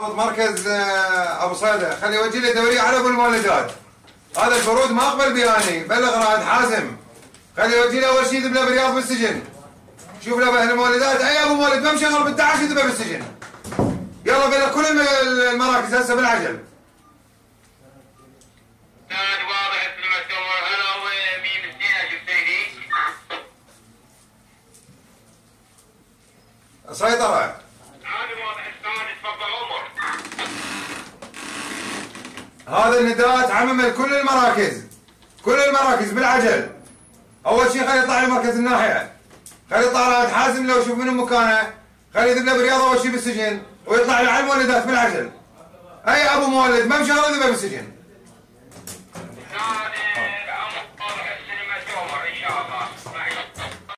ضابط مركز ابو صيده خلي يوجه لي دوريه على ابو المولدات. هذا الفرود ما اقبل بياني، بلغ رائد حازم خلي يوجه لي اول شيء يذبله برياض بالسجن. شوف له باهل المولدات اي ابو مولد ما مشغل ب 11 يذبه بالسجن. يلا بلا كل المراكز هسه بالعجل. واضح مثل ما تقول. هلا ومين الزينه جبتيني؟ سيطرة. هذا واضح الثاني. تفضل عمر. هذا النداء تعمم لكل المراكز. كل المراكز بالعجل. اول شيء خلي يطلع لمركز الناحيه. خلي يطلع رائد حازم لو يشوف منو مكانه. خلي يذبله برياضه اول شيء بالسجن ويطلع لي على المولدات بالعجل. اي ابو مولد ما مشغل يذبه بالسجن.